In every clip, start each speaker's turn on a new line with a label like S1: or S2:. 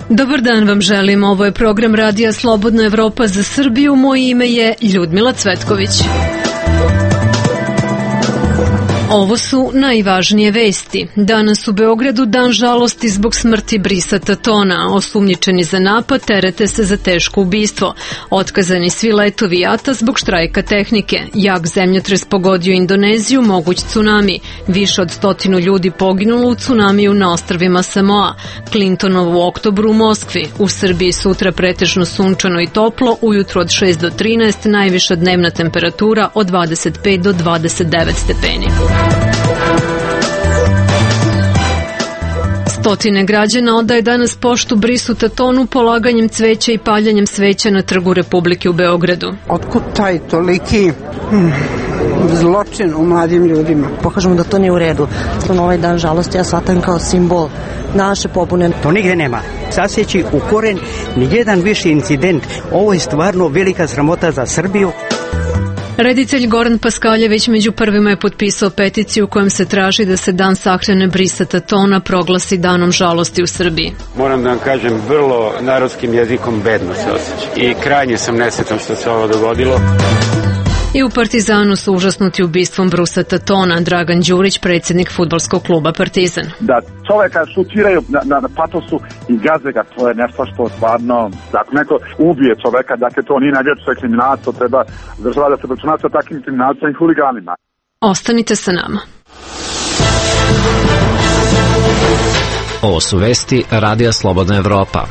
S1: Dobar dan vam želim, ovo je program Radija Slobodna Evropa za Srbiju, moje ime je Ljudmila Cvetković. Ovo su najvažnije vesti. Danas u Beogradu dan žalosti zbog smrti Brisa Tatona. Osumnjičeni za napad terete se za teško ubistvo. Otkazani svi letovi JAT-a zbog štrajka tehnike. Jak zemljotres pogodio Indoneziju, moguć tsunami. Više od 100 ljudi poginulo u tsunamiju na ostrvima Samoa. Clintonov u oktobru u Moskvi. U Srbiji sutra pretežno sunčano i toplo, ujutro od 6 do 13, najviša dnevna temperatura od 25 do 29 stepeni. Stotine građana odaje danas poštu Brisu Tatonu polaganjem cveća i paljanjem sveća na Trgu Republike u Beogradu.
S2: Otkud taj toliki zločin u mladim ljudima?
S3: Pokažemo da to nije u redu. Na ovaj dan žalosti ja shvatam kao simbol naše pobune.
S4: To nigde nema. Saseći u koren nijedan više incident. Ovo je stvarno velika sramota za Srbiju.
S1: Reditelj Goran Paskaljević među prvima je potpisao peticiju kojom se traži da se dan sahrane Brisa Tatona proglasi danom žalosti u Srbiji.
S5: Moram da vam kažem, vrlo narodskim jezikom bedno se osjećam. I krajnje sam nesretan što se ovo dogodilo.
S1: I u Partizanu su užasnuti ubistvom Brisa Tatona. Dragan Đurić, predsjednik fudbalskog kluba Partizan.
S6: Da čoveka šutiraju na patosu i gaze ga, to je nešto što stvarno, ako neko ubije čoveka, dakle to nije najveće, to je kriminalac, to treba država da se obračuna sa takvim kriminalcima i huliganima.
S1: Ostanite sa nama.
S7: Ovo su vesti Radija Slobodna Evropa.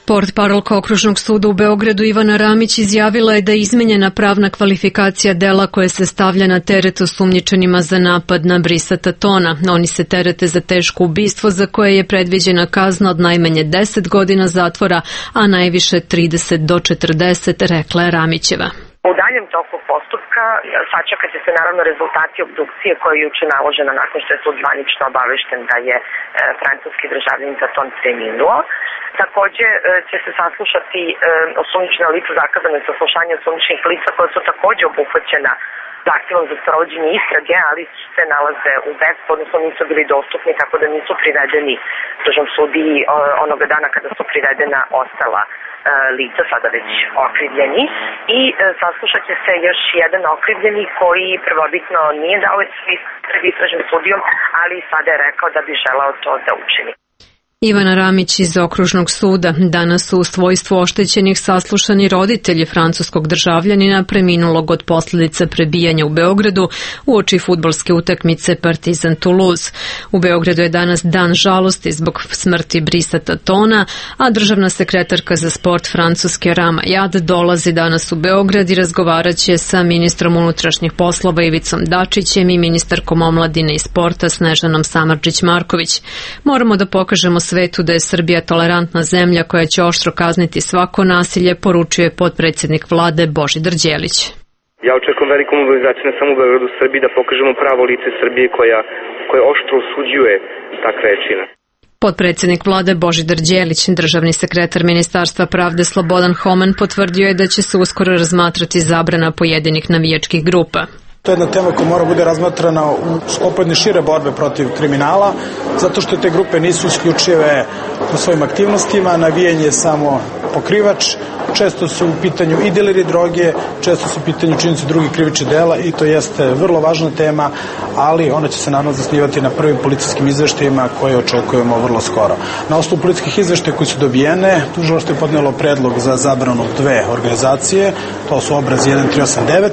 S1: Portparolka Okružnog suda u Beogradu Ivana Ramić izjavila je da je izmenjena pravna kvalifikacija dela koje se stavlja na teret osumnjičenima za napad na Brisa Tatona. Oni se terete za teško ubistvo za koje je predviđena kazna od najmanje 10 godina zatvora, a najviše 30 do 40, rekla je Ramićeva.
S8: U daljem toku postupka sačekat će se naravno rezultati obdukcije koja je juče naložena nakon što je sud zvanično obavešten da je francuski državljanin Taton preminuo. Takođe će se saslušati osumnjičena lica, zakazane saslušanje osumnjičenih lica koja su takođe obuhvaćena zahtjevom za sprovođenje istrage, ali se nalaze u bespu, odnosno nisu bili dostupni, tako da nisu privedeni državnom sudiji onoga dana kada su privedena ostala lica, sada već okrivljeni, i saslušat će se još jedan okrivljeni koji prvobitno nije dao svoj pred istražnim sudijom, ali sada je rekao da bi želeo to da učini.
S1: Ivana Ramić iz Okružnog suda. Danas su u svojstvu oštećenih saslušani roditelji francuskog državljanina preminulog od posljedica prebijanja u Beogradu uoči fudbalske utakmice Partizan Toulouse. U Beogradu je danas dan žalosti zbog smrti Brisa Tatona, a državna sekretarka za sport Francuske Rama Jad dolazi danas u Beograd i razgovarat će sa ministrom unutrašnjih poslova Ivicom Dačićem i ministarkom omladine i sporta Snežanom Samardžić-Marković. Moramo da pokažemo svetu da je Srbija tolerantna zemlja koja će oštro kazniti svako nasilje, poručuje potpredsjednik vlade Božidar Đelić.
S9: Ja očekujem veliku mobilizaciju ne samo u Beogradu, u Srbiji, da pokažemo pravo lice Srbije koja oštro osuđuje takve čine.
S1: Potpredsjednik vlade Božidar Đelić, državni sekretar Ministarstva pravde Slobodan Homen potvrdio je da će se uskoro razmatrati zabrana pojedinih navijačkih grupa.
S10: To je jedna tema koja mora bude razmatrana u sklopu jedne šire borbe protiv kriminala, zato što te grupe nisu isključive u svojim aktivnostima, navijanje je samo pokrivač, često su u pitanju i dileri droge, često su u pitanju činjenice drugih krivičnih dela i to jeste vrlo važna tema, ali ona će se naravno zasnivati na prvim policijskim izveštajima koje očekujemo vrlo skoro. Na osnovu policijskih izveštaja koji su dobijene, tužilaštvo je podnelo predlog za zabranu 2 organizacije, to su obraz 1389,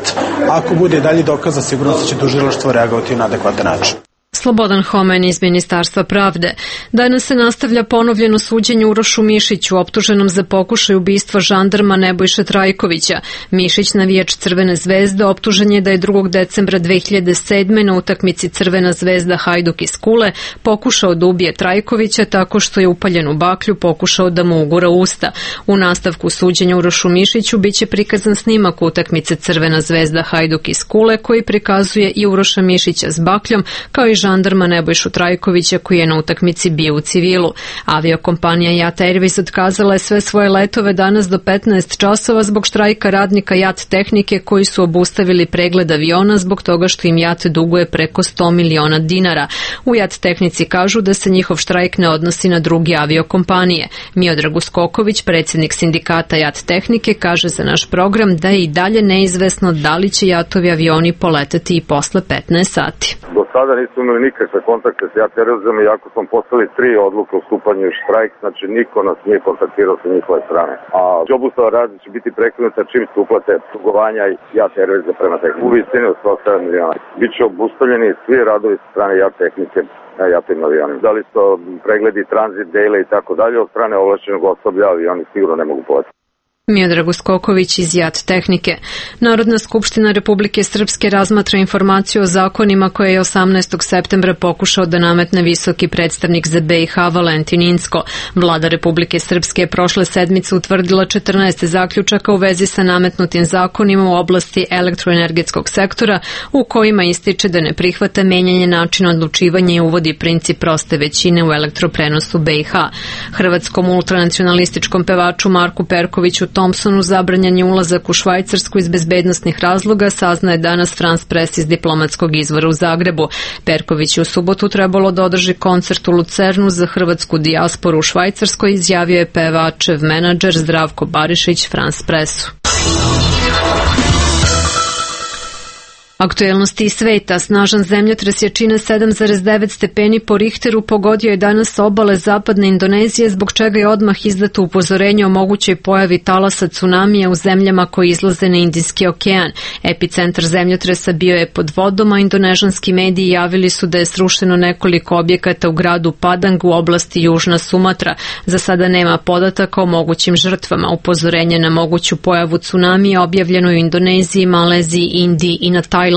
S10: ako bude dalje dokaza, sigurno će tužilaštvo reagovati na adekvatan način.
S1: Slobodan Homen iz Ministarstva pravde. Danas se nastavlja ponovljeno suđenje Urošu Mišiću, optuženom za pokušaj ubistva žandarma Nebojše Trajkovića. Mišić, navijač Crvene zvezde, optužen je da je 2. decembra 2007. na utakmici Crvena zvezda Hajduk iz Kule pokušao da ubije Trajkovića tako što je upaljen u baklju pokušao da mu ugura usta. U nastavku suđenja Urošu Mišiću biće prikazan snimak utakmice Crvena zvezda Hajduk iz Kule koji prikazuje i Uroša Mišića s bakljom kao i žandarma Nebojšu Trajkovića koji je na utakmici bio u civilu. Aviokompanija JAT Airways otkazala je sve svoje letove danas do 15 časova zbog štrajka radnika JAT tehnike koji su obustavili pregled aviona zbog toga što im JAT duguje preko 100 miliona dinara. U JAT tehnici kažu da se njihov štrajk ne odnosi na druge aviokompanije. Miodrag Uskoković, predsjednik sindikata JAT tehnike, kaže za naš program da je i dalje neizvesno da li će JAT-ovi avioni poletati i posle 15 sati.
S11: Do sada nismo imali nikakve kontakte s JAT Airwaysom, iako smo poslali 3 odluke o stupanju u štrajk, znači niko nas nije kontaktirao sa njihove strane. A obustava rada će biti prekinuta čim se uplate dugovanja JAT Airwaysa prema tehniku. U visini od 107 miliona. Biće obustavljeni svi radovi sa strane JAT tehnike na JAT-ovim avionima. Da li su pregledi, tranzit, dejle i tako dalje, od strane ovlašćenog osoblja avioni sigurno ne mogu poletati.
S1: Miodrag Uskoković iz JAT tehnike. Narodna skupština Republike Srpske razmatra informaciju o zakonima koje je 18. septembra pokušao da nametne visoki predstavnik za BiH Valentin Incko. Vlada Republike Srpske je prošle sedmice utvrdila 14 zaključaka u vezi sa nametnutim zakonima u oblasti elektroenergetskog sektora u kojima ističe da ne prihvata menjanje načina odlučivanja i uvodi princip proste većine u elektroprenosu BiH. Hrvatskom ultranacionalističkom pevaču Marku Perkoviću Thompsonu zabranjen je ulazak u Švajcarsku iz bezbednosnih razloga, saznaje danas France Press iz diplomatskog izvora u Zagrebu. Perković je u subotu trebalo da održi koncert u Lucernu za hrvatsku dijasporu u Švajcarskoj, izjavio je pevačev menadžer Zdravko Barišić France Pressu. Aktuelnosti iz sveta. Snažan zemljotres jačine 7,9 stepeni po Richteru pogodio je danas obale zapadne Indonezije, zbog čega je odmah izdato upozorenje o mogućoj pojavi talasa tsunamija u zemljama koji izlaze na Indijski okean. Epicentar zemljotresa bio je pod vodom, a indonežanski mediji javili su da je srušeno nekoliko objekata u gradu Padang u oblasti Južna Sumatra. Za sada nema podataka o mogućim žrtvama. Upozorenje na moguću pojavu tsunamija objavljeno je u Indoneziji, Maleziji, Indiji i na Tajlandu.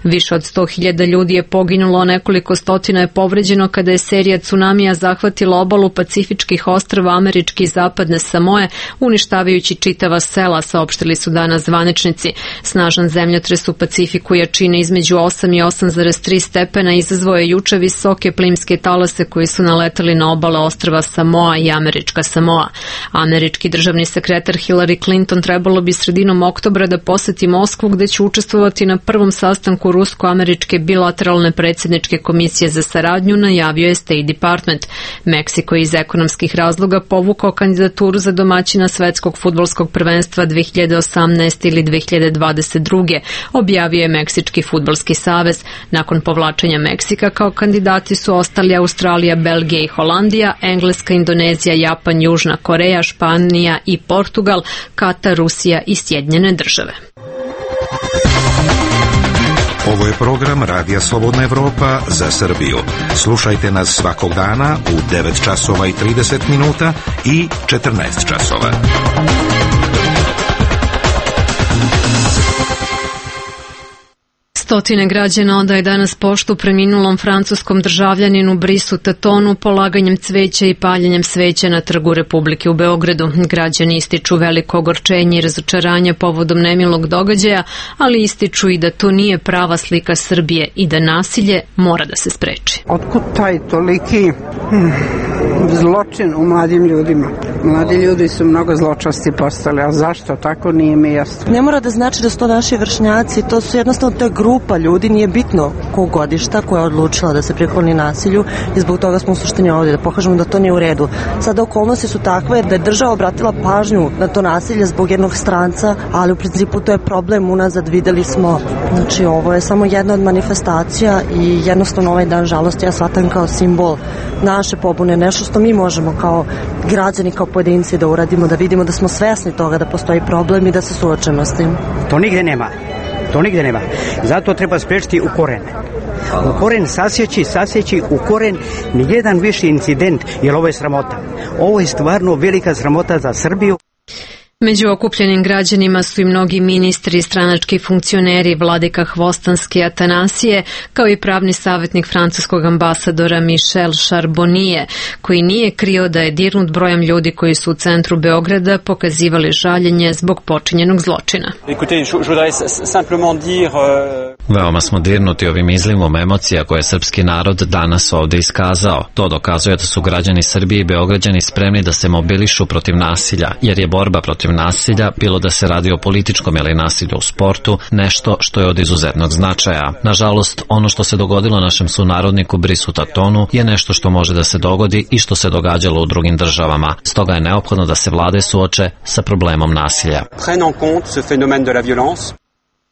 S1: Više od 100.000 ljudi je poginulo, nekoliko stotina je povređeno kada je serija tsunamija zahvatila obalu Pacifičkih ostrva američke i zapadne Samoe, uništavajući čitava sela, saopštili su danas zvaničnici. Snažan zemljotres u Pacifiku jačine između 8 i 8,3 stepena izazvao je juče visoke plimske talase koji su naletali na obale ostrva Samoa i američka Samoa. Američki državni sekretar Hillary Clinton trebalo bi sredinom oktobra da poseti Moskvu, gde će učestvovati na prvom sastanku rusko-američke bilateralne predsjedničke komisije za saradnju, najavio je State Department. Meksiko je iz ekonomskih razloga povukao kandidaturu za domaćina svetskog fudbalskog prvenstva 2018 ili 2022. Objavio je Meksički fudbalski savez. Nakon povlačenja Meksika kao kandidati su ostali Australija, Belgija i Holandija, Engleska, Indonezija, Japan, Južna Koreja, Španija i Portugal, Katar, Rusija i Sjedinjene države.
S12: Ovo je program Radija Slobodna Evropa za Srbiju. Slušajte nas svakog dana u 9 časova i 30 minuta i 14 časova.
S1: Stotine građana odaje danas poštu preminulom francuskom državljaninu Brisu Tatonu polaganjem cveća i paljenjem sveća na Trgu Republike u Beogradu. Građani ističu veliko ogorčenje i razočaranje povodom nemilog događaja, ali ističu i da to nije prava slika Srbije i da nasilje mora da se spreči.
S2: Otkud taj toliki zločin u mladim ljudima? Mladi ljudi su mnogo zločasti postali, a zašto tako nije mi jasno.
S3: Ne mora da znači da su to naši vršnjaci, to su jednostavno te grupa ljudi, nije bitno kog godišta koja je odlučila da se prikloni nasilju i zbog toga smo u suštini ovdje, da pokažemo da to nije u redu. Sada okolnosti su takve da je država obratila pažnju na to nasilje zbog jednog stranca, ali u principu to je problem unazad, videli smo. Znači ovo je samo jedna od manifestacija i jednostavno ovaj dan žalosti ja shvatam kao simbol naše pobune, nešto što mi možemo kao građani, kao pojedinci da uradimo, da vidimo da smo svesni toga da postoji problem i da se suočemo s tim.
S4: To nigde nema. To nigde nema. Zato treba sprečiti u koren. U koren sasjeći u koren nijedan više incident, jer ovo je sramota. Ovo je stvarno velika sramota za Srbiju.
S1: Među okupljenim građanima su i mnogi ministri i stranački funkcioneri, vladika Hvostanski Atanasije, kao i pravni savjetnik francuskog ambasadora Michel Charbonnier, koji nije krio da je dirnut brojem ljudi koji su u centru Beograda pokazivali žaljenje zbog počinjenog zločina.
S7: Veoma smo dirnuti ovim izlivom emocija koje je srpski narod danas ovde iskazao. To dokazuje da su građani Srbije i Beograđani spremni da se mobilišu protiv nasilja, jer je borba protiv nasilja, bilo da se radi o političkom ili nasilju u sportu, nešto što je od izuzetnog značaja. Nažalost, ono što se dogodilo našem sunarodniku Brisu Tatonu je nešto što može da se dogodi i što se događalo u drugim državama. Stoga je neophodno da se vlade suoče sa problemom nasilja.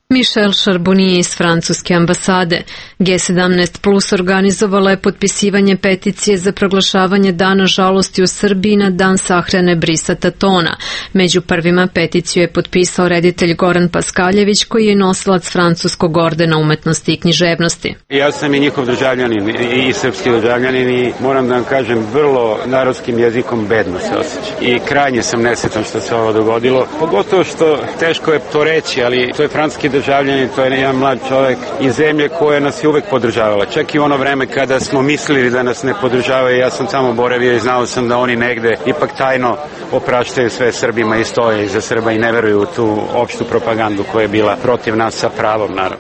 S1: Michel Charbonnier iz francuske ambasade. G17 Plus organizovala je potpisivanje peticije za proglašavanje Dana žalosti u Srbiji na dan sahrane Brisa Tatona. Među prvima peticiju je potpisao reditelj Goran Paskaljević, koji je nosilac francuskog ordena umetnosti i književnosti.
S5: Ja sam i njihov državljanin i srpski državljanin i moram da vam kažem, vrlo narodskim jezikom bedno se osjećam. I krajnje sam nesretan što se ovo dogodilo. Pogotovo što teško je to reći, ali to je francuski državljanin, to je jedan mlad čovjek iz zemlje koja nas je uvek podržavala. Čak i u ono vreme kada smo mislili da nas ne podržavaju, ja sam tamo boravio i znao sam da oni negde ipak tajno opraštaju sve Srbima i stoje iza Srba i ne veruju u tu opštu propagandu koja je bila protiv nas sa pravom, naravno.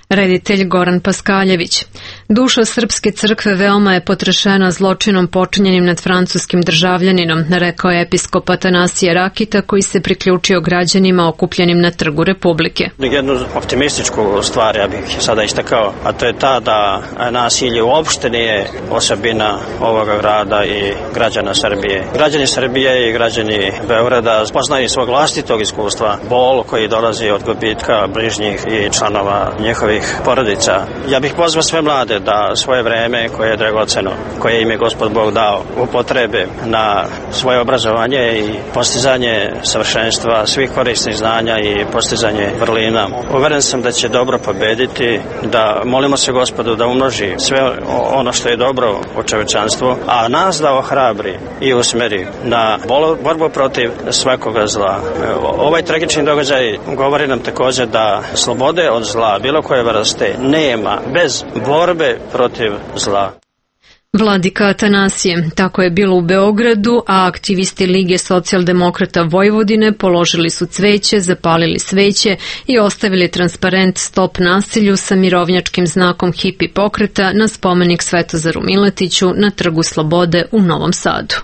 S1: Reditelj Goran Paskaljević. Duša Srpske crkve veoma je potrešena zločinom počinjenim nad francuskim državljaninom, rekao je episkop Atanasije Rakita, koji se priključio građanima okupljenim na Trgu Republike.
S13: Jednu optimističku stvar ja bih sada istakao, a to je ta da nasilje uopšte nije osobina ovoga grada i građana Srbije. Građani Srbije i građani Beograda poznaju svog vlastitog iskustva, bol koji dolazi od gubitka bližnjih i članova njihovih porodica. Ja bih pozvao sve mlade da svoje vreme koje je dragoceno, koje im je Gospod Bog dao, upotrebe na svoje obrazovanje i postizanje savršenstva svih korisnih znanja i postizanje vrlina. Uveren sam da će dobro pobediti, da molimo se Gospodu da umnoži sve ono što je dobro u čovečanstvu, a nas da ohrabri i usmeri na borbu protiv svakoga zla. Ovaj tragični događaj govori nam također da slobode od zla, bilo koje vrste, nema bez borbe protiv zla.
S1: Vladika Atanasije. Tako je bilo u Beogradu, a aktivisti Lige socijaldemokrata Vojvodine položili su cveće, zapalili sveće i ostavili transparent Stop nasilju sa mirovnjačkim znakom hipi pokreta na spomenik Svetozaru Miletiću na Trgu Slobode u Novom Sadu.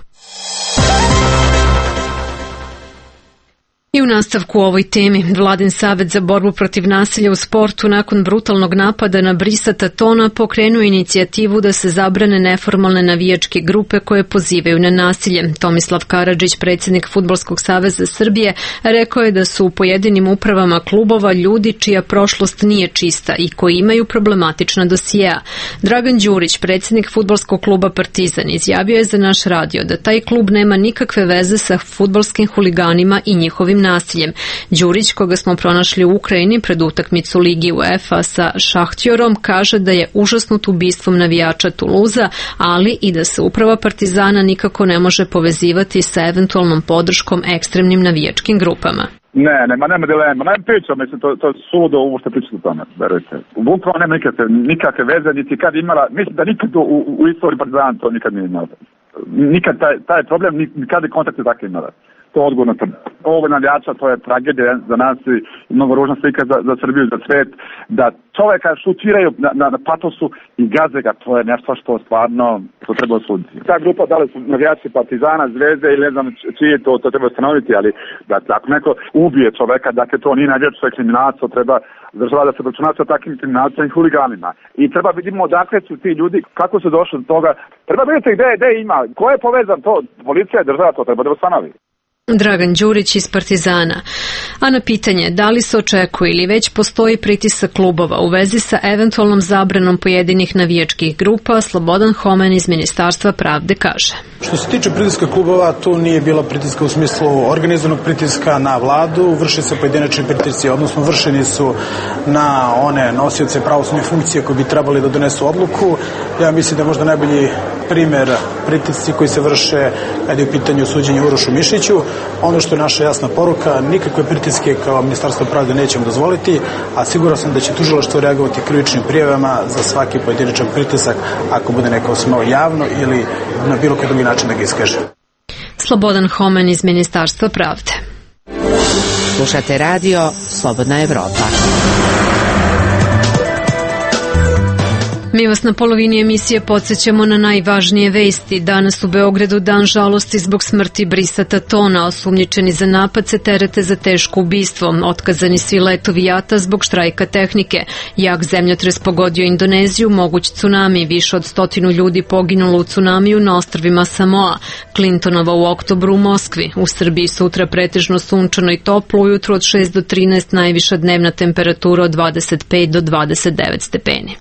S1: I u nastavku ovoj temi, Vladin savet za borbu protiv nasilja u sportu nakon brutalnog napada na Brisa Tatona pokrenuo inicijativu da se zabrane neformalne navijačke grupe koje pozivaju na nasilje. Tomislav Karadžić, predsjednik Fudbalskog saveza Srbije, rekao je da su u pojedinim upravama klubova ljudi čija prošlost nije čista i koji imaju problematična dosijea. Dragan Đurić, predsjednik Fudbalskog kluba Partizan, izjavio je za naš radio da taj klub nema nikakve veze sa fudbalskim huliganima i njihovim nasiljem. Đurić, koga smo pronašli u Ukrajini pred utakmicu Ligi UEFA sa Šahtjorom, kaže da je užasnut ubistvom navijača Tuluza, ali i da se uprava Partizana nikako ne može povezivati sa eventualnom podrškom ekstremnim navijačkim grupama.
S6: Nema dilema, nema priča, mislim, to je suludo ovo što pričate o tome, verujte. Bukvalno nema nikakve veze, niti kad imala, mislim da nikad u istoriji Partizana to nikad nije imala. Nikad taj problem, nikada kontakte takve imala. To je odgovorno tvrdo. Ovo navijača, to je tragedija za nas i mnogo ružna slika za Srbiju, za svet, da čoveka šutiraju na patosu i gaze ga, to je nešto što stvarno to treba osuditi. Ta grupa, da li su navijači Partizana, Zvezde ili ne znam čije, to treba ustanoviti, ali da ako neko ubije čoveka, dakle to nije navijač, to je kriminalac, to treba država da se obračuna sa takvim kriminalcima i huliganima. I treba vidimo odakle su ti ljudi, kako su došli do toga. Treba vidjeti gde ima, ko je povezan to, policija i država, to treba da ustanovi.
S1: Dragan Đurić iz Partizana. A na pitanje da li se očekuje ili već postoji pritisak klubova u vezi sa eventualnom zabranom pojedinih navijačkih grupa, Slobodan Homen iz Ministarstva pravde kaže.
S10: Što se tiče pritiska klubova, tu nije bilo pritiska u smislu organizovanog pritiska na vladu, vrši se pojedinačni pritisci, odnosno vršeni su na one nosioce pravosudne funkcije koji bi trebali da donesu odluku. Ja mislim da je možda najbolji primer pritisci koji se vrše kad je u pitanju suđenje Urošu Mišiću. Ono što je naša jasna poruka, nikakve pritiske kao Ministarstvo pravde nećemo dozvoliti, a siguran sam da će tužilaštvo reagovati krivičnim prijavama za svaki pojedinačan pritisak ako bude neko smeo javno ili na bilo koji drugi način da ga iskaže.
S1: Slobodan Homen iz Ministarstva pravde.
S14: Slušate radio Slobodna Evropa.
S1: Mi vas na polovini emisije podsjećamo na najvažnije vesti. Danas u Beogradu dan žalosti zbog smrti Brisa Tatona. Osumnjičeni za napad se terete za teško ubistvo. Otkazani svi letovi JAT-a zbog štrajka tehnike. Jak zemljotres pogodio Indoneziju, moguć tsunami. Više od 100 ljudi poginulo u tsunamiju na ostrvima Samoa. Clintonova u oktobru u Moskvi. U Srbiji sutra pretežno sunčano i toplo, ujutru od 6 do 13, najviša dnevna temperatura od 25 do 29 stepeni.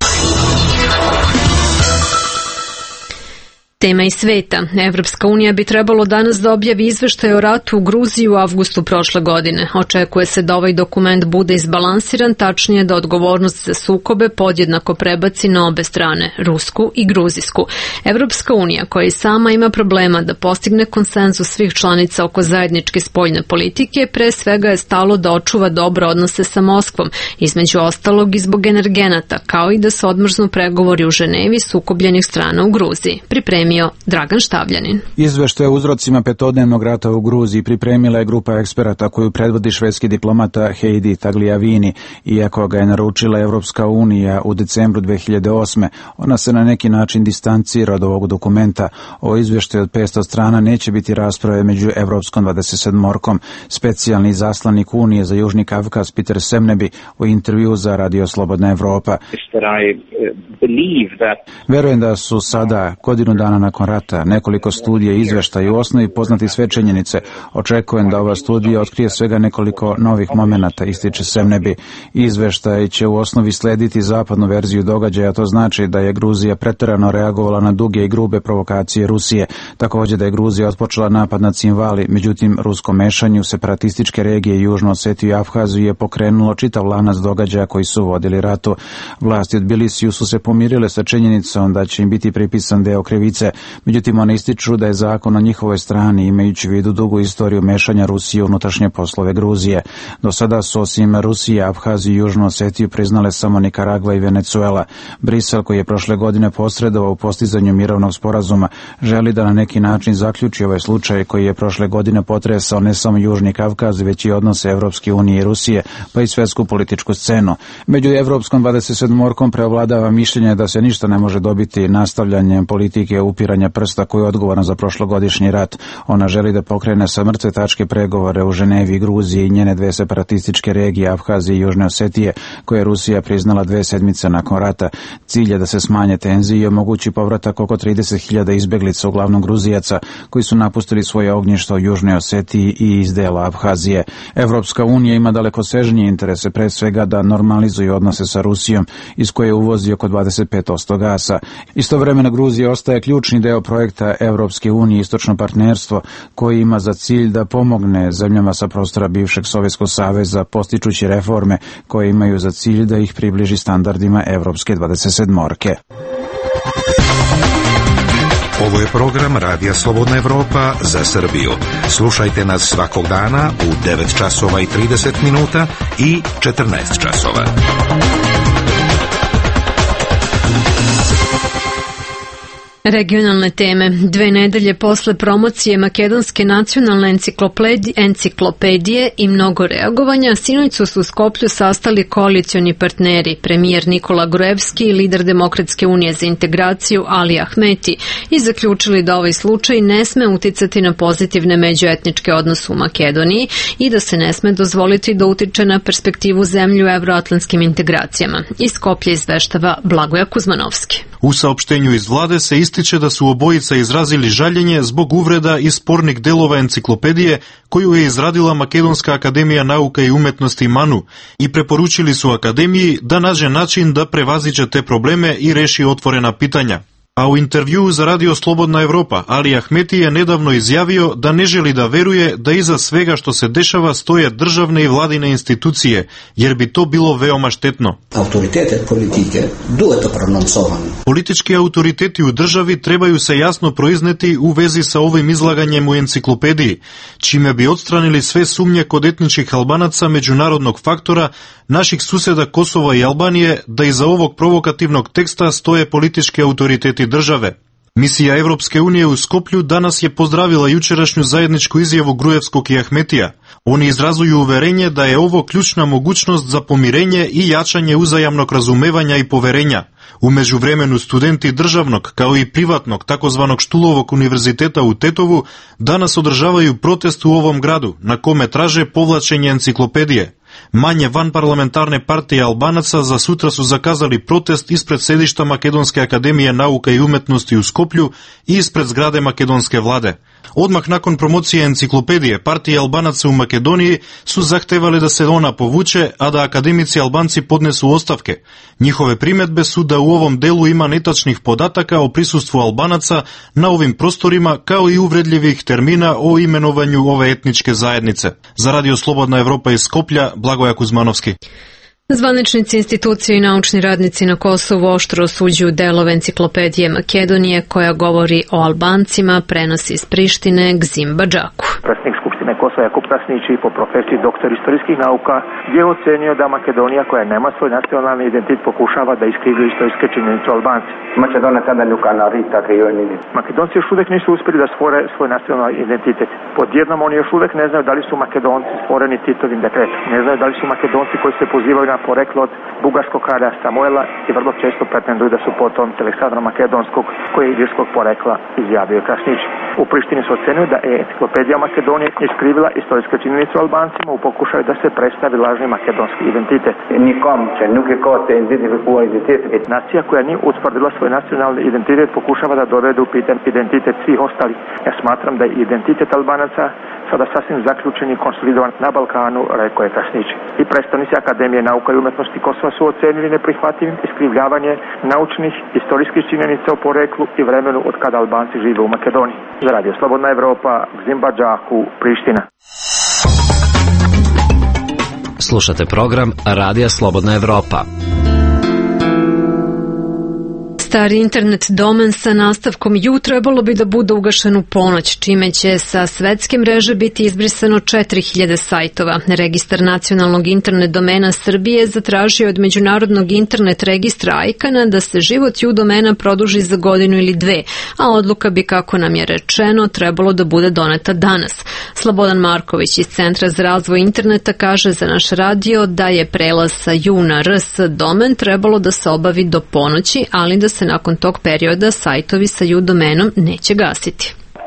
S1: Tema iz sveta. Evropska unija bi trebalo danas da objavi izveštaj o ratu u Gruziji u avgustu prošle godine. Očekuje se da ovaj dokument bude izbalansiran, tačnije da odgovornost za sukobe podjednako prebaci na obe strane, rusku i gruzijsku. Evropska unija, koja i sama ima problema da postigne konsenzus svih članica oko zajedničke spoljne politike, pre svega je stalo da očuva dobre odnose sa Moskvom, između ostalog i zbog energenata, kao i da se odmrznu pregovori u Ženevi sukobljenih strana u Gruziji. Pripremio Dragan Štavljanin.
S14: Izveštaj o uzrocima petodnevnog rata u Gruziji pripremila je grupa eksperata koju predvodi švedski diplomata Heidi Tagliavini. Iako ga je naručila Evropska unija u decembru 2008. ona se na neki način distancira od ovog dokumenta. O izveštaju od 500 strana neće biti rasprave među Evropskom 27-orkom. Specijalni zaslanik Unije za Južni Kavkaz Peter Semnebi u intervju za Radio Slobodna Evropa. Verujem da su sada, godinu dana nakon rata, nekoliko studija i izveštaja u osnovi poznati sve činjenice. Očekujem da ova studija otkrije svega nekoliko novih momenata, ističe Semnebi. Izveštaj će u osnovi slediti zapadnu verziju događaja, to znači da je Gruzija preterano reagovala na duge i grube provokacije Rusije. Također da je Gruzija otpočela napad na Cinvali, međutim rusko mešanje u separatističke regije Južnu Osetiju i Abhaziju je pokrenulo čitav lanac događaja koji su vodili ratu. Vlasti od Tbilisiju su se pomirile sa činjenicom da će im biti pripisan deo krivice. Međutim, one ističu da je zakon na njihovoj strani, imajući u vidu dugu istoriju mešanja Rusije u unutrašnje poslove Gruzije. Do sada su osim Rusije, Abhaziju i Južnu Osetiju priznale samo Nikaragva i Venecuela. Brisel, koji je prošle godine posredovao u postizanju mirovnog sporazuma, želi da na neki način zaključi ovaj slučaj koji je prošle godine potresao ne samo Južni Kavkaz, već i odnose Evropske unije i Rusije, pa i svetsku političku scenu. Među Evropskom 27-orkom preovladava mišljenje da se ništa ne može dobiti nastavljanjem politike upiranja prsta koji je odgovoran za prošlogodišnji rat. Ona želi da pokrene sa mrtve tačke pregovore u Ženevi, Gruziji i njene dve separatističke regije Abhazije i Južne Osetije, koje je Rusija priznala 2 sedmice nakon rata. Cilj je da se smanje tenzije i omogući povratak oko 30.000 izbeglica, uglavnom Gruzijaca, koji su napustili svoje ognjišta u Južnoj Osetiji i iz dela Abhazije. Evropska unija ima dalekosežnije interese, pre svega da normalizuje odnose sa Rusijom, iz koje uvozi oko 25% gasa. Istovremeno Gruzija ostaje ključni deo projekta Evropske unije Istočno partnerstvo, koji ima za cilj da pomogne zemljama sa prostora bivšeg Sovjetskog saveza, postičući reforme koje imaju za cilj da ih približi standardima Evropske 27-orke.
S12: Ovo je program Radija Slobodna Evropa za Srbiju. Slušajte nas svakog dana u 9 časova i 30 minuta i 14 časova.
S1: Regionalne teme. 2 nedelje posle promocije Makedonske nacionalne enciklopedije i mnogo reagovanja, sinoć su se u Skoplju sastali koalicioni partneri, premijer Nikola Gruevski i lider Demokratske unije za integraciju Ali Ahmeti, i zaključili da ovaj slučaj ne sme uticati na pozitivne međuetničke odnose u Makedoniji i da se ne sme dozvoliti da utiče na perspektivu zemlje u evroatlantskim integracijama. Iz Skoplja izveštava Blagoja Kuzmanovski.
S15: U saopštenju iz vlade se ističe da su obojica izrazili žaljenje zbog uvreda i spornih delova enciklopedije koju je izradila Makedonska akademija nauka i umetnosti MANU i preporučili su akademiji da nađe način da prevaziđe te probleme i reši otvorena pitanja. A u intervjuu za Radio Slobodna Evropa, Ali Ahmeti je nedavno izjavio da ne želi da veruje da iza svega što se dešava stoje državne i vladine institucije, jer bi to bilo veoma štetno. Politički autoriteti u državi trebaju se jasno proizneti u vezi sa ovim izlaganjem u enciklopediji, čime bi odstranili sve sumnje kod etničkih Albanaca međunarodnog faktora, naših suseda Kosova i Albanije, da iza ovog provokativnog teksta stoje politički autoriteti države. Misija Evropske unije u Skoplju danas je pozdravila jučerašnju zajedničku izjavu Gruevskog i Ahmetija. Oni izrazuju uverenje da je ovo ključna mogućnost za pomirenje i jačanje uzajamnog razumevanja i poverenja. U međuvremenu studenti državnog kao i privatnog takozvanog Štulovog univerziteta u Tetovu danas održavaju protest u ovom gradu na kome traže povlačenje enciklopedije. Manje vanparlamentarne partije Albanaca za sutra su zakazali protest ispred sedišta Makedonske akademije nauka i umetnosti u Skoplju i ispred zgrade makedonske vlade. Odmah nakon promocije enciklopedije, partije Albanaca u Makedoniji su zahtevali da se ona povuče, a da akademici Albanci podnesu ostavke. Njihove primedbe su da u ovom delu ima netačnih podataka o prisustvu Albanaca na ovim prostorima, kao i uvredljivih termina o imenovanju ove etničke zajednice. Za Radio Slobodna Evropa iz Skoplja, Blagoja Kuzmanovski.
S1: Zvaničnici, institucije i naučni radnici na Kosovu oštro osuđuju delove enciklopedije Makedonije koja govori o Albancima, prenosi iz Prištine Gzim Badžaku.
S16: Predsjednik Skupštine Kosova Jakub Krasnić po profesiji doktor istorijskih nauka je ocenio da Makedonija koja nema svoj nacionalni identitet pokušava da iskrivljuje istorijske činjenice o Albanci. Makedonci još uvek nisu uspjeli da stvore svoj nacionalni identitet. Podjednom oni još uvek ne znaju da li su Makedonci stvoreni Titovim dekretom. Ne znaju da li su Makedonci koji se pozivaju na poreklo od bugarskog kralja Samuela i vrlo često pretenduju da su potomci Aleksandra Makedonskog koji je ilirskog porekla, izjavio Krasnić. U Prištini su ocenili da je enciklopedija Makedonije iskrivila istorijske činjenice o Albancima u pokušaju da se predstavi lažni makedonski identitet. Nacija koja nije utvrdila svoj nacionalni identitet pokušava da dovede u pitanje identitet svih ostalih. Ja smatram da je identitet Albanaca sada sasvim zaključen i konsolidovan na Balkanu, rekao je Krasnić. I predstavnici Akademije nauka i umetnosti Kosova su ocenili neprihvatljivim iskrivljavanje naučnih istorijskih činjenica o poreklu i vremenu od kada Albanci žive u Makedoniji. Za Radio Slobodna Evropa, Gzim Badžaku, Priština.
S7: Slušate program Radija Slobodna Evropa.
S1: Stari internet domen sa nastavkom ju trebalo bi da bude ugašen u ponoć, čime će sa svetske mreže biti izbrisano 4000 sajtova. Registar nacionalnog internet domena Srbije zatražio od Međunarodnog internet registra ICANN-a da se život ju domena produži za godinu ili dve, a odluka bi, kako nam je rečeno, trebalo da bude doneta danas. Slobodan Marković iz Centra za razvoj interneta kaže za naš radio da je prelaz sa ju na rs domen trebalo da se obavi do ponoći, ali da se nakon tog perioda sajtovi sa ju domenom neće gasiti.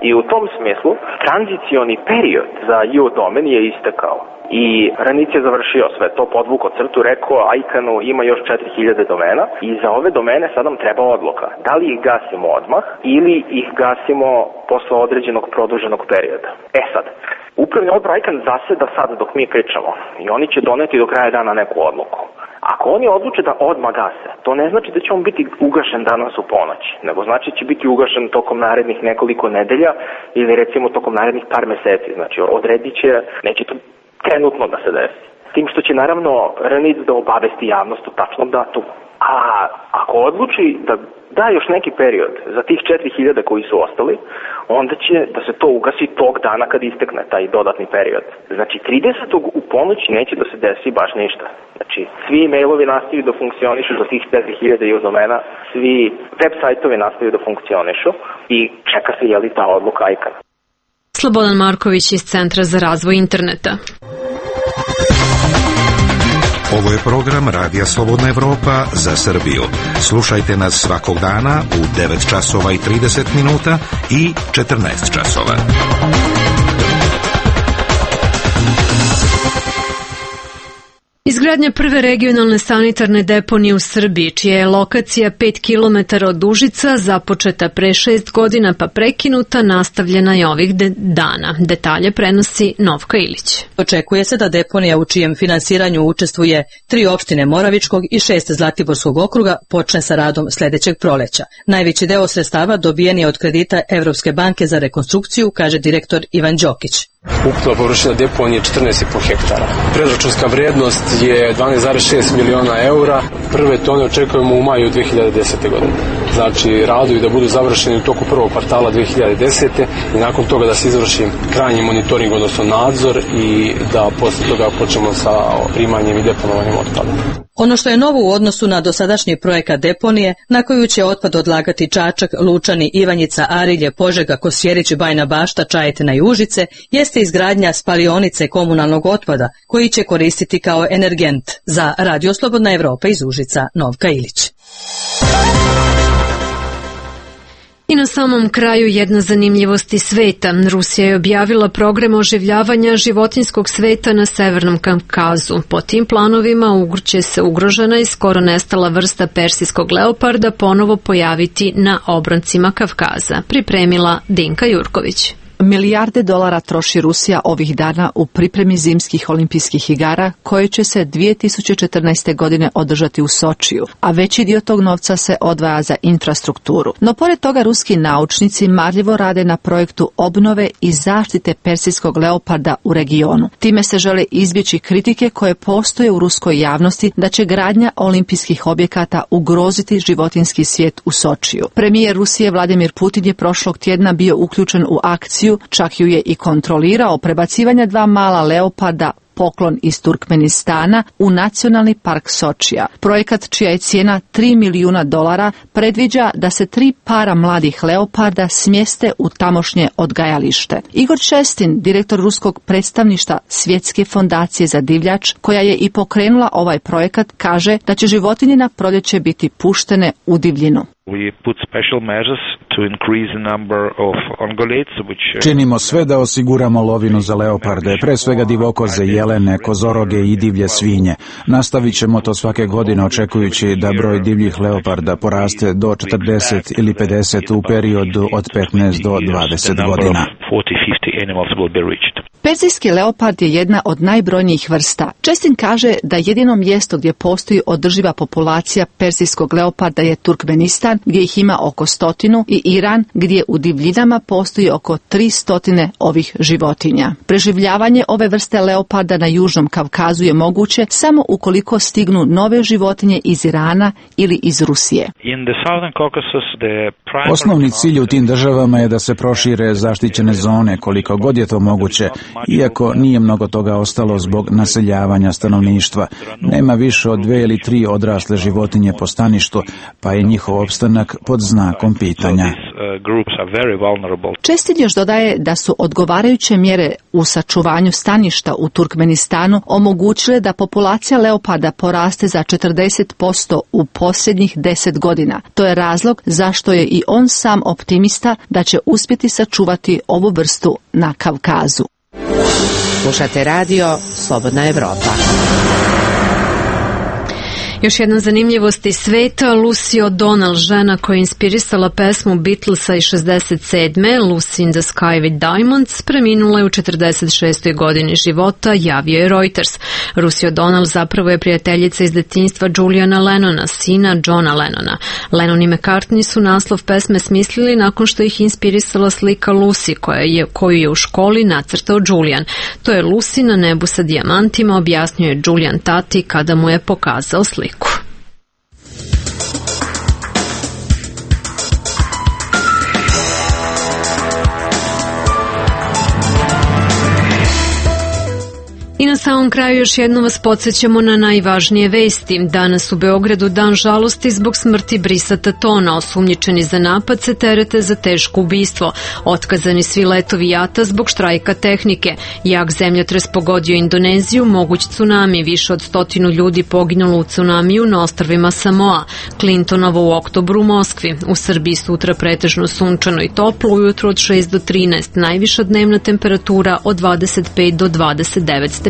S17: I u tom smislu tranzicioni period za ju domen je istekao. I Ranić je završio sve to, podvukao crtu, rekao ICANN-u ima još 4000 domena i za ove domene sad nam treba odluka. Da li ih gasimo odmah ili ih gasimo posle određenog produženog perioda. Sad, upravni odbor ICANN zaseda sad dok mi pričamo i oni će doneti do kraja dana neku odluku. Ako oni odluče da odmah gase, to ne znači da će on biti ugašen danas u ponoć, nego znači da će biti ugašen tokom narednih nekoliko nedelja ili recimo tokom narednih par meseci. Znači odredit će, neće to trenutno da se desi. Tim što će naravno Ranić da obavesti javnost u tačnom datumu. A ako odluči da da još neki period za tih 4000 koji su ostali, onda će da se to ugasi tog dana kad istekne taj dodatni period. Znači 30. u ponoć neće da se desi baš ništa. Znači svi mailovi nastavljaju da funkcionišu za tih 4000 ju domena, svi web sajtovi nastavljaju da funkcionišu i čeka se je li ta odluka ICANN.
S1: Slobodan Marković iz Centra za razvoj interneta.
S12: Ovo je program Radija Slobodna Evropa za Srbiju. Slušajte nas svakog dana u 9 časova i 30 minuta i 14 časova.
S1: Izgradnja prve regionalne sanitarne deponije u Srbiji, čija je lokacija 5 km od Užica, započeta pre 6 godina pa prekinuta, nastavljena je ovih dana. Detalje prenosi Novka Ilić.
S18: Očekuje se da deponija u čijem finansiranju učestvuje 3 opštine Moravičkog i 6 Zlatiborskog okruga počne sa radom sledećeg proleća. Najveći deo sredstava dobijen je od kredita Evropske banke za rekonstrukciju, kaže direktor Ivan Đokić.
S19: Ukupna površina deponije je 14,5 hektara. Predračunska vrednost je 12,6 miliona eura. Prve tone očekujemo u maju 2010. godine. Znači, radovi da budu završeni u toku prvog kvartala 2010. i nakon toga da se izvrši krajnji monitoring, odnosno nadzor i da posle toga počnemo sa primanjem i deponovanjem otpada.
S18: Ono što je novo u odnosu na dosadašnji projekat deponije, na koju će otpad odlagati Čačak, Lučani, Ivanjica, Arilje, Požega, Kosjerić, Bajna Bašta, Čajetina i Užice, jeste izgradnja spalionice komunalnog otpada, koji će koristiti kao energent. Za Radio Slobodna Evropa iz Užica, Novka Ilić.
S1: I na samom kraju jedna zanimljivost iz sveta. Rusija je objavila program oživljavanja životinjskog sveta na Severnom Kavkazu. Po tim planovima će se ugrožena i skoro nestala vrsta persijskog leoparda ponovo pojaviti na obroncima Kavkaza. Pripremila Dinka Jurković.
S20: Milijarde dolara troši Rusija ovih dana u pripremi zimskih olimpijskih igara koje će se 2014. godine održati u Sočiju, a veći dio tog novca se odvaja za infrastrukturu. No pored toga ruski naučnici marljivo rade na projektu obnove i zaštite persijskog leoparda u regionu. Time se žele izbjeći kritike koje postoje u ruskoj javnosti da će gradnja olimpijskih objekata ugroziti životinjski svijet u Sočiju. Premijer Rusije Vladimir Putin je prošlog tjedna bio uključen u akciju, čak ju je i kontrolirao, prebacivanja 2 mala leoparda poklon iz Turkmenistana u Nacionalni park Sočija. Projekat, čija je cijena $3 milijuna, predviđa da se 3 para mladih leoparda smjeste u tamošnje odgajalište. Igor Čestin, direktor ruskog predstavništva Svjetske fondacije za divljač, koja je i pokrenula ovaj projekat, kaže da će životinje na proljeće biti puštene u divljinu.
S14: Činimo sve da osiguramo lovinu za leoparde, pre svega divokoze, jelene, kozoroge i divlje svinje. Nastavit ćemo to svake godine očekujući da broj divljih leoparda poraste do 40 ili 50 u periodu od 15 do 20 godina.
S20: Perzijski leopard je jedna od najbrojnijih vrsta. Čestin kaže da jedino mjesto gdje postoji održiva populacija perzijskog leoparda je Turkmenistan, gdje ih ima oko 100, i Iran, gdje u divljinama postoji oko 300 ovih životinja. Preživljavanje ove vrste leoparda na Južnom Kavkazu je moguće samo ukoliko stignu nove životinje iz Irana ili iz Rusije.
S14: Osnovni cilj u tim državama je da se prošire zaštićene zone koliko god je to moguće, iako nije mnogo toga ostalo zbog naseljavanja stanovništva. Nema više od 2 ili 3 odrasle životinje po staništu, pa je njihov opstanak pod znakom pitanja.
S20: Čestin još dodaje da su odgovarajuće mjere u sačuvanju staništa u Turkmenistanu omogućile da populacija leoparda poraste za 40% u posljednjih 10 godina. To je razlog zašto je i on sam optimista da će uspjeti sačuvati ovu vrstu na Kavkazu.
S21: Slušate radio Slobodna Evropa.
S1: Još jedna zanimljivost iz sveta, Lucy O'Donnell, žena koja je inspirisala pesmu Beatlesa iz 67. Lucy in the Sky with Diamonds, preminula je u 46. godini života, javio je Reuters. Lucy O'Donnell zapravo je prijateljica iz detinjstva Juliana Lennona, sina Johna Lennona. Lennon i McCartney su naslov pesme smislili nakon što ih inspirisala slika Lucy koju je u školi nacrtao Julian. To je Lucy na nebu sa dijamantima, objasnio je Julian tati kada mu je pokazao sliku. I na samom kraju još jednom vas podsjećamo na najvažnije vesti. Danas u Beogradu dan žalosti zbog smrti Brisa Tatona. Osumnjičeni za napad se terete za teško ubistvo. Otkazani svi letovi JAT-a zbog štrajka tehnike. Jak zemljotres pogodio Indoneziju, moguć tsunami. Više od 100 ljudi poginulo u tsunamiju na ostrvima Samoa. Clintonovo u oktobru u Moskvi. U Srbiji sutra pretežno sunčano i toplo, ujutro od 6 do 13. Najviša dnevna temperatura od 25 do 29 stepeni.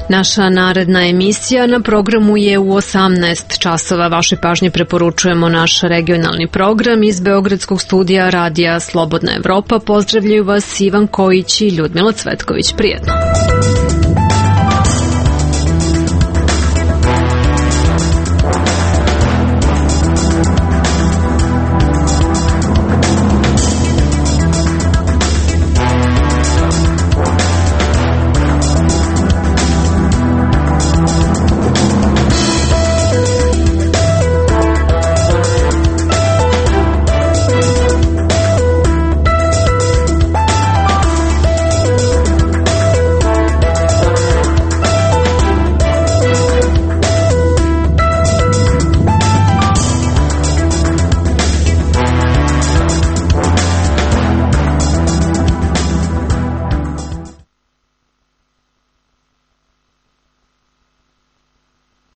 S1: Naša naredna emisija na programu je u 18 časova. Vašoj pažnji preporučujemo naš regionalni program iz Beogradskog studija Radija Slobodna Evropa. Pozdravljaju vas Ivan Kojić i Ljudmila Cvetković. Prijetno.